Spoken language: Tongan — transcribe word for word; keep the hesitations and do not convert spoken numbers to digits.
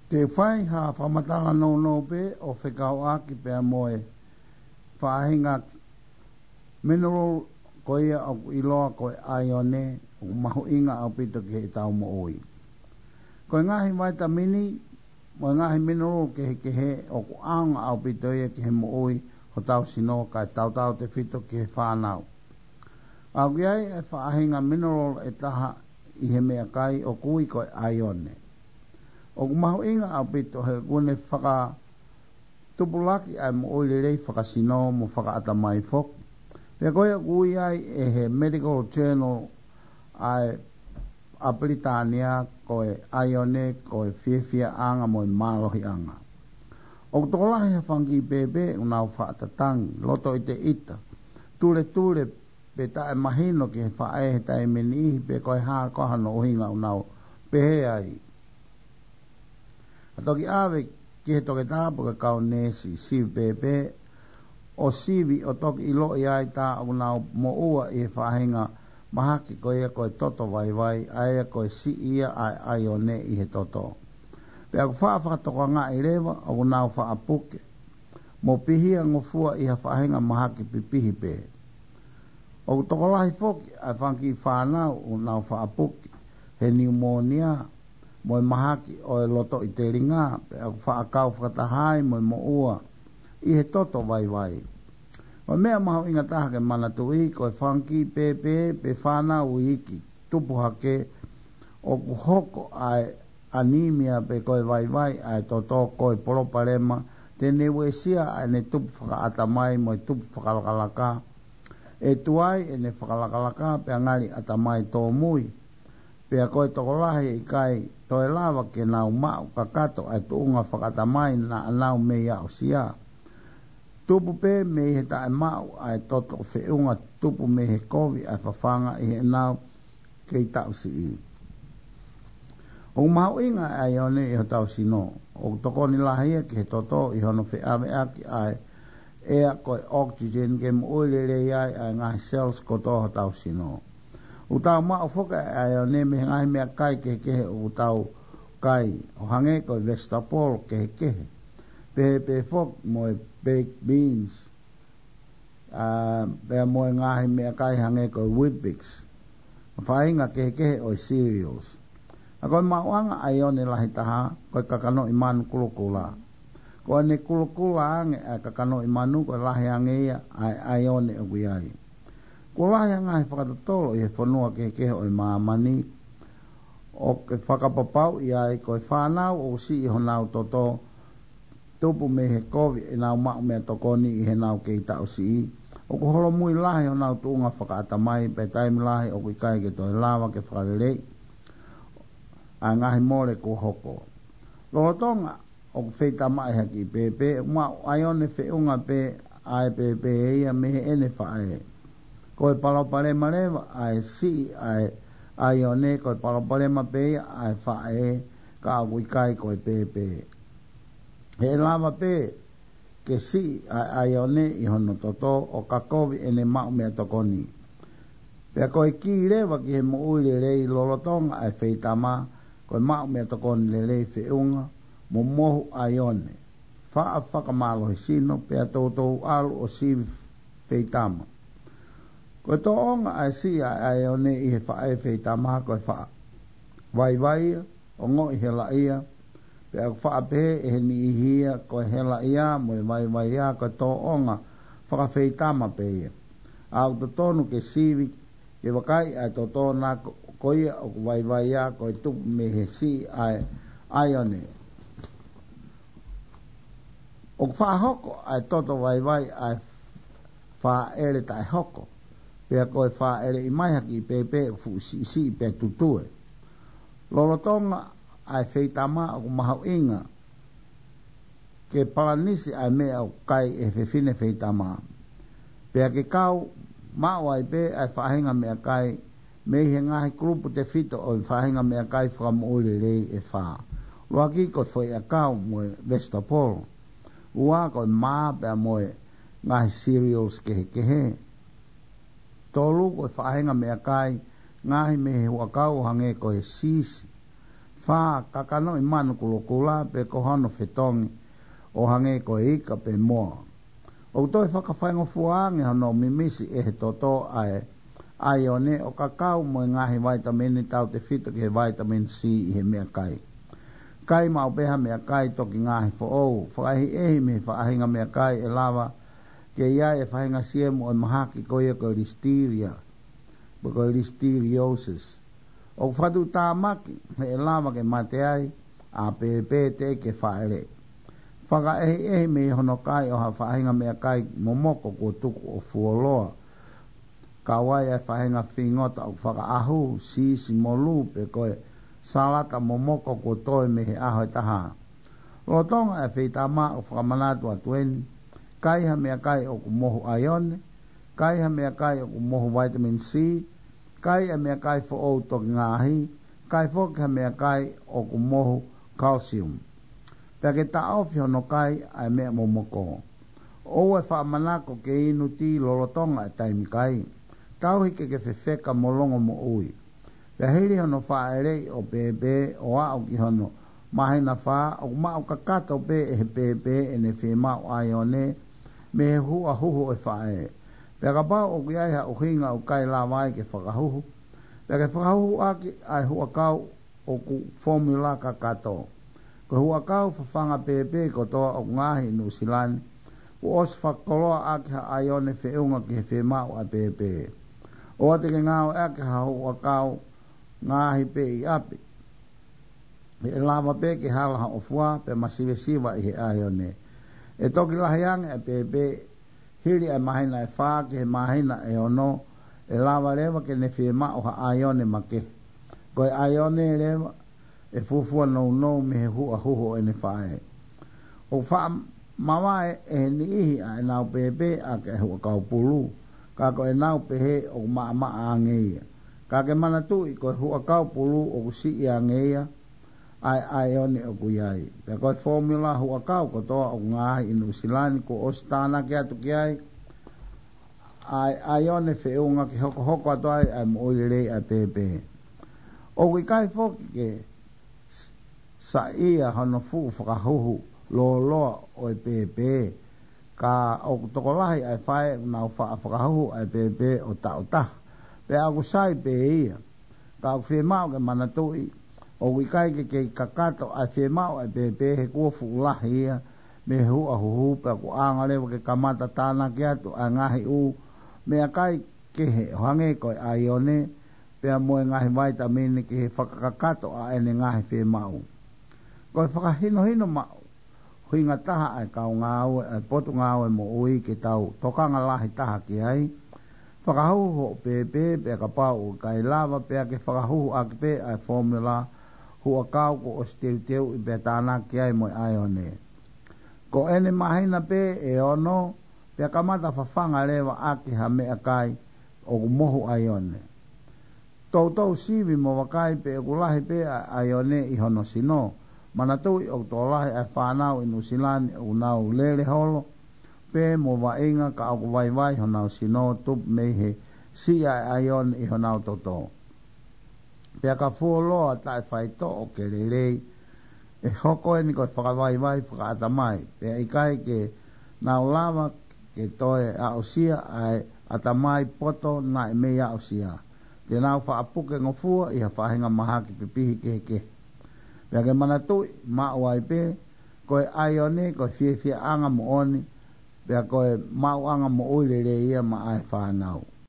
Te u fai ha fakamatala nounou pē ʻo fekauʻaki pea mo e faʻahinga mineral ko ia ʻoku ʻiloa ko e ʻaione, ʻoku mahuʻinga ʻaupito ki heʻetau moʻui. Ko e ngaahi vaitamini mo e ngaahi mineral kehekehe ʻoku ʻaonga ʻaupito ia ki he moʻui hotau sino kae tautautefito ki he fānau. ʻOku ʻi ai e faʻahinga mineral ʻe taha ʻi he meʻakai ʻoku ui ko e ʻaione. ʻOku mahuʻinga ʻaupito he ʻoku ne fakatupulaki ʻa e moʻui lelei fakasino mo fakaʻatamai foki. Pea ko ia ʻoku ui ai ʻe he medical journal ʻa e ʻa Pilitānia ko e ʻaione ko e fiefiaʻanga mo e mālohiʻanga. ʻOku tokolahi ha fanga kiʻi pēpē ʻoku nau faʻatatangi, loto ʻiteʻita, tuletule pe taʻemahino ki he faʻē he taimi ʻe niʻihi pe ko e hā koā hono ʻuhinga ʻoku nau pehē ai. ʻA toki ʻave ki he toketā pe ko e kau neesi sivi pēpē, ʻo sivi ʻo toki ʻiloʻi ai tā ʻoku nau moʻua ʻi he faʻahinga mahaki ko ia ko e toto vaivai, ʻa ia ko e siʻi ia ʻa e ʻaione ʻi he toto. Pea ʻoku faʻa fakatokangaʻi leva ʻoku nau faʻa puke mo pihiangofua ʻi ha faʻahinga mahaki pipihi pē. ʻOku tokolahi foki ʻa e fanga kiʻi fānau ʻoku nau faʻa puke he niumōnia mo e mahaki ʻo e loto ʻi telinga, pea ʻoku faʻa kau fakataha ai mo e moʻua ʻi he toto vaivai. Ko e meʻa mahuʻinga taha ke manatuʻi, ko e fanga kiʻi pēpē pe fānau iiki tupu hake ʻoku hoko ʻa e ʻanīmia pe ko e vaivai ʻa e toto ko e palopalema te ne uesia ʻa ʻene tupu fakaʻatamai mo e tupu fakalakalaka. ʻE tuai ʻene fakalakalaka pea ngali ʻatamai tōmui. Pea ko e tokolahi ʻe ʻikai toe lava ke nau maʻu kakato ʻa e tuʻunga fakaʻatamai naʻa nau mei aʻusia. Tupu pē mei he taʻemaʻu ʻa e toto feʻunga tupu mei he kovi ʻa e fafanga ʻi heʻenau kei taʻu siʻi. ʻOku mahuʻinga ʻa e ʻaione ʻi hotau sino. ʻOku tokoni lahi ia ki he toto ʻi hono feʻaveʻaki ʻa e ʻea ko e oxygen ke moʻui lelei ai ʻa e ngaahi cells kotoa hotau sino. ʻOku tau maʻu foki ʻa e ʻaione mei he ngaahi meʻakai kehekehe ʻoku tau kai, ʻo hangē ko e vegetable kehekehe. Pehē pē foki mo e baked beans, ʻa, pea mo e ngaahi meʻakai hangē ko e Weet-Bix, faʻahinga kehekehe ʻo e cereals. ʻA ko e maʻuʻanga ʻaione lahi taha, ko e kakanoʻi manu kulokula. Ko ʻene kulokula ange ʻa e kakanoʻi manu, ko e lahi ange ia ʻa e ʻaione ʻoku ʻi ai. Kuo lahi ʻa e ngaahi fakatotolo ʻi he fonua kehekehe ʻo e māmani, ʻoku fakapapauʻi ai ko e fānau ʻoku siʻi honau toto tupu mei he kovi ʻenau maʻu meʻatokoni ʻi heʻenau kei taʻu siʻi, ʻoku holomui lahi honau tuʻunga fakaʻatamai pea taimi lahi ʻoku ʻikai ke toe lava ke fakaleleiʻi ʻa e ngaahi mole kuo hoko. Lolotonga ʻoku feitamaʻi ha kiʻi pēpē, ʻoku maʻu ʻaione feʻunga pē ʻa e pēpē ia mei heʻene faʻē. Ko e palopalema leva ʻa e siʻi ʻa e ʻaione, ko e palopalema pē ia ʻa e faʻē, ka ʻoku ʻikai ko e pēpē. He ʻe lava pē ke siʻi ʻa e ʻaione ʻi hono toto ʻo ka kovi ʻene maʻu meʻatokoni. Pea ko e kī leva ki he moʻui lelei lolotonga ʻa e feitama, ko e maʻu meʻatokoni lelei feʻunga mo mohu ʻaione. Faʻa fakamālohi sino pea toutou ʻalu ʻo sivi feitama. Ko e tōʻonga ʻa e siʻi ʻa e ʻaione ʻi he faʻē feitama ko e faʻa vaivai ia, ongoʻi helaʻia, pea ʻoku faʻa pehē ʻe he niʻihi ia ko e helaʻia mo e vaivai ia ko e tōʻonga fakafeitama pē ia. ʻOku totonu ke sivi ke vakai ʻa e toto na ko, ko ia ʻoku vaivai ia ko e tupu mei he siʻi ʻa e ʻaione. ʻOku faʻa hoko ʻa e toto vaivai ʻa e fāʻele taʻehoko. Pea ko e fāʻeleʻi mai ha kiʻi pēpē ʻoku fuʻu siʻisiʻi pea tutue. Lolotonga ʻa e feitama ʻoku mahuʻinga ke palanisi ʻa e meʻa ʻoku kai ʻe he fefine feitama. Pea ke kau maʻu ai pē ʻa e faʻahinga meʻakai mei he ngaahi kulupu tefito ʻo e faʻahinga meʻakai fakamoʻui lelei ʻe fā. ʻUluaki ko e foʻi ʻakau mo e vegetable. Ua ko e mā pea mo e ngaahi cereals kehekehe. Tolu ko e faʻahinga meʻakai ngaohi mei he huʻakau ʻo hangē ko e siisi. Fā, kakanoʻi manu kulokula pe ko hono fetongi ʻo hangē ko e ika pe moa. ʻOku toe fakafaingofua ange hono mimisi ʻe he toto ʻa e ʻaione ʻo kakau mo e ngaahi vaitamini tautefito ki he vaitamini C ʻi he meʻakai. Kai maʻu pē ha meʻakai toki ngaahi foʻou, fakaʻehiʻehi mei he faʻahinga meʻakai ʻe lava ke ʻi ai e faʻahinga siemu ʻo e mahaki ko ia ko e listeria, pe ko e listeriosis. ʻOku fakatuʻutāmaki he ʻe lava ke mate ai ʻa pēpē teʻeki ke fāʻeleʻi. Fakaʻehiʻehi mei hono kai ʻo ha faʻahinga meʻakai momoko kuo tuku ʻo fuoloa, kau ai ʻa e faʻahinga fingota ʻoku fakaʻahu, siisi mo lū pe ko e salata momoko kuo toe mei he ʻaho ʻe taha. Lolotonga e feitama ʻoku fakamanatu atu eni: kai ha meʻakai ʻoku mohu ʻaione, kai ha meʻakai ʻoku mohu vaitamini C, kai ʻa e meʻakai foʻou toki ngaahi, kai foki ha meʻakai ʻoku mohu calcium. Pea ke taʻofi hono kai ʻa e meʻa momoko. ʻOua ʻe faʻamanako ke inu tī lolotonga e taimi kai. Tauhi ke ke fefeka mo longomoʻui. Pea hili hono fāʻeleʻi ʻo pēpē ʻo aʻu ki hono māhina fā, ʻoku maʻu kakato pē ʻe he pēpē ʻene fiemaʻu ʻaione mei he huʻa huhu ʻo e faʻē. Pea kapau ʻoku ʻi ai ha ʻuhinga ʻoku ʻikai lava ai ke fakahuhu, pea ke fakahuhu ʻaki ʻa e huʻakau ʻoku fomula kakato. Ko e huʻakau fafanga pēpē kotoa ʻoku ngaahi ʻi Nuʻusila ni, kuo ʻosi fakakoloa ʻaki ha ʻaione feʻunga ki he fiemaʻu ʻa e pēpē. ʻOua te ke ngāueʻaki ha huʻakau ngaahi pē ʻi ʻapi. ʻE lava pē ke hala hoʻo fua pea masivesiva ʻi he ʻaione. ʻE toki lahi ange ʻa e pēpē hili ʻa e māhina ʻe fā ki he māhina ʻe ono, ʻe lava leva ke ne fiemaʻu ha ʻaione makehe. Ko e ʻaione leva ʻe fuofua nounou mei he huʻa huhu ʻo ʻene faʻē. ʻOku faʻa mavae ʻe he niʻihi ʻa ʻenau pēpē ʻaki e huʻakau pulu, ka ko ʻenau pehē ʻoku maʻamaʻa ange ia. Ka ke manatuʻi ko e huʻakau pulu ʻoku siʻi ange ia ʻa e ʻaione ʻoku ʻi ai. Pea ko e fomula huʻakau kotoa ʻoku ngaahi ʻi Nuʻusila ni kuo ʻosi tānaki atu ki ai ʻa e ʻaione feʻunga ke hokohoko atu ai ʻa e moʻui lelei ʻa e pēpē. ʻOku ʻikai foki ke saiʻia hono fuʻu fakahuhu lōloa ʻo e pēpē, ka ʻoku tokolahi ʻa e faʻē ʻoku nau faʻa fakahuhu ʻa e pēpē ʻo taʻu taha, pea ʻoku sai pē ia. Ka ʻoku fiemaʻu ke manatuʻi, ʻoku ʻikai ke kei kakato ʻa e fiemaʻu ʻa e pēpē he kuo fuʻu lahi ia mei he huʻa huhu, pea ʻoku ʻaonga leva ke kamata tānaki atu ʻa e ngaahi ʻū meʻakai kehe ʻo hangē ko e ʻaione, pea mo e ngaahi vaitamini ki he fakakakato ʻa ʻene ngaahi fiemaʻu. Ko e fakahinohino maʻu hinga taha ʻa e kau ngāue ʻa e Potungāue Moʻui ke tau tokanga lahi taha ki ai. Fakahuhu hoʻo pēpē, pea kapau ʻoku ʻikai lava, pea ke fakahuhu ʻaki pē ʻa e fomula huʻakau kuo ʻosi teuteuʻi pea tānaki ai mo e ʻaione. Ko ʻene māhina pē ʻe ono, pea kamata fafanga leva ʻaki ha meʻakai ʻoku mohu ʻaione. Toutou sivi mo vakai pe ʻoku lahi pē ʻa e ʻaione ʻi hono sino. Manatuʻi ʻoku tokolahi ʻa e fānau ʻi Nuʻusila ni ʻoku nau lele holo pē mo vaʻinga, ka ʻoku vaivai honau sino tupu mei he siʻi ʻa e ʻaione ʻi honau toto. Pea ka fuoloa taʻefaitoʻo ke lelei, ʻe hoko eni ko e fakavaivai fakaʻatamai, pea ʻikai ke nau lava ke toe aʻusia ʻa e ʻatamai poto naʻe mei aʻusia. Te nau faʻa puke ngofua ʻi ha faʻahinga mahaki pipihi kehekehe. Pea ke manatuʻi, maʻu ai pē, ko e ʻaione ko e fiefiaʻanga moʻoni, pea ko e maʻuʻanga moʻui lelei ia maʻa e fānau.